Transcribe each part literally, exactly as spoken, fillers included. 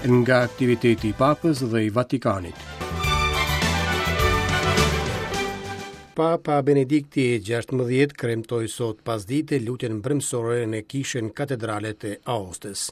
Nga aktiviteti i Papës dhe i Vatikanit. Papa Benedikti i gjashtëmbëdhjetë kremtoi sot pasdite lutjen mbrëmësore në kishën katedrale të Aostës.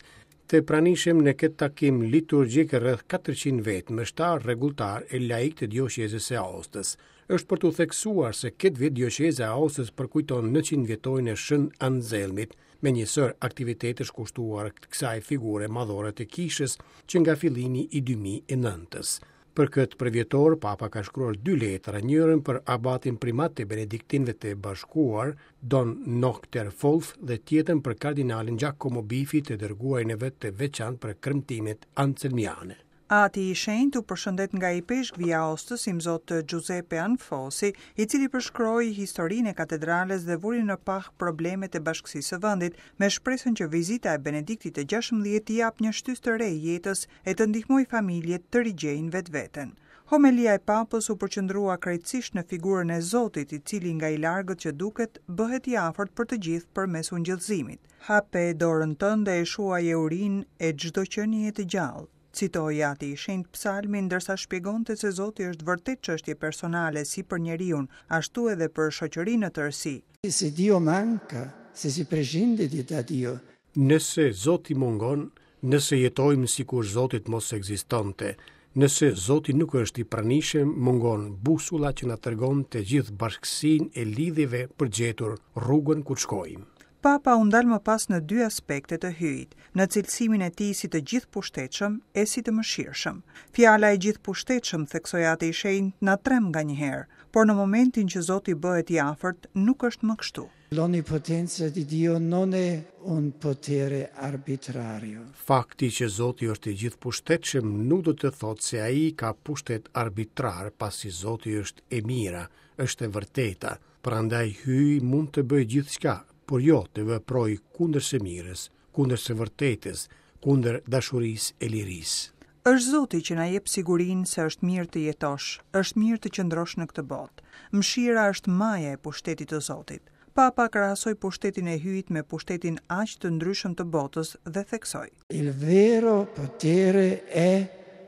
Të pranishëm në këtë takim liturgjik rreth katërqind vetë, meshtar, rregulltar e laik të dioqezës së Aostës. Është për t'u theksuar se këtë vit dioqeza e Aostës përkujton njëqind vjetorin e Shën Anselmit, me një sërë aktivitetesh kushtuar kësaj figure madhore të kishës që nga fillimi i dy mijë e nëntës. Për këtë përvjetor, Papa ka shkruar dy letra, njërën për abatin primat të Benediktinëve të Bashkuar, Don Nokter Folf, dhe tjetrën për kardinalin Giacomo Biffi të dërguarin e vet të veçantë për kremtimet anselmiane. Ati i Shenjtë u përshëndet nga ipeshkvi i Aostës, imzot Giuseppe Anfosi, i cili përshkroi historinë e katedrales dhe vuri në pah problemet e bashkësisë së vendit, me shpresën që vizita e Benediktit të gjashtëmbëdhjetë t'i japë një shtysë të re jetës e të ndihmojë familjet të rigjejnë vetveten. Homelia e Papës u përqendrua krejtësisht në figurën e Zotit, i cili nga i largët që duket bëhet i afërt për të gjithë përmes ungjillëzimit. Hape dorën tënde e shuaj e urinë e çdo qenie të gjallë, citoi Ati i Shenjtë psalmin, ndërsa shpjegonte se Zoti është vërtet çështje personale si për njeriun, ashtu edhe për shoqërinë në tërësi. Se Dio manca, se si prescinde di da Dio. Nëse Zoti mungon, nëse jetojmë sikur Zotit mos ekzistonte, nëse Zoti nuk është i pranishëm, mungon busulla që na tregon të gjithë bashkësinë e lidhjeve për gjetur rrugën ku shkojmë. Papa u ndal më pas në dy aspekte të hyjit, në cilësimin e tij si të gjithëpushtetshëm e si të mëshirshëm. Fjala e gjithëpushtetshëm, theksoi Ati i Shenjtë, na tremb nganjëherë, por në momentin që Zoti bëhet i afërt, nuk është më kështu. L'onnipotenza di Dio non è un potere arbitrario. Fakti që Zoti është i gjithëpushtetshëm nuk do të thotë se ai ka pushtet arbitrar, pasi Zoti është e mira, është e vërteta. Prandaj hyji mund të bëjë gjithçka, por jo të veprojë kundër së mirës, kundër së vërtetës, kundër dashurisë e lirisë. Është Zoti që na jep sigurinë se është mirë të jetosh, është mirë të qëndrosh në këtë botë. Mëshira është maja e pushtetit të Zotit. Papa krahasoi pushtetin e hyjit me pushtetin aq të ndryshëm të botës dhe theksoi: Il vero potere è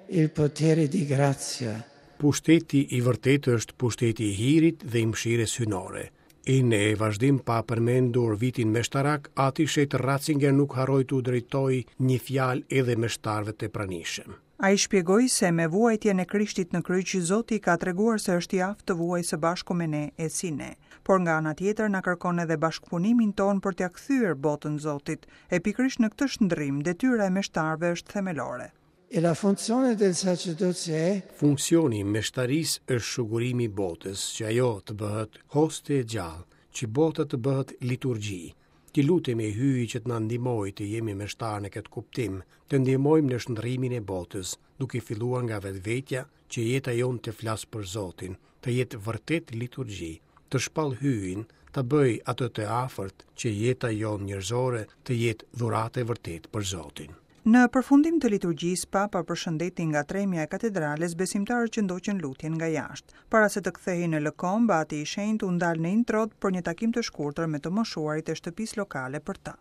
il potere di grazia. Pushteti i vërtetë është pushteti i hirit dhe i mëshirës hyjnore. E në vazhdim pa përmendur vitin meshtarak, Ati Shenjt Ratzinger nuk harroi t'u drejtoj një fjalë edhe meshtarëve të pranishëm. Ai shpjegoi se me vuajtjen e Krishtit në kryq, Zoti ka treguar se është i aftë të vuajë së bashku me ne e si ne. Por nga ana tjetër na kërkon edhe bashkëpunimin ton për t'ia kthyer botën Zotit, e pikërisht në këtë shndrim detyra e meshtarëve është themelore. E la funzione del sacerdozio è Funksioni i meshtarisë është shugurimi i botës, që ajo të bëhet hoste e gjallë, që bota të bëhet liturgji. Ti lutemi e hyji që të na ndihmojë të jemi meshtar në këtë kuptim, të ndihmojmë në shndrimin e botës, duke filluar nga vetvetja, që jeta jonë të flasë për Zotin, të jetë vërtet liturgji, të shpall hyjin, ta bëj atë të afërt, që jeta jonë njerëzore të jetë dhuratë e vërtetë për Zotin. Në përfundim të liturgjisë, Papa përshëndeti nga tremja e katedrales besimtarët që ndoqën lutjen nga jashtë. Para se të kthehej në Lëkomb, Ati i Shenjtë u ndal në Introd për një takim të shkurtër me të moshuarit e shtëpisë lokale për ta.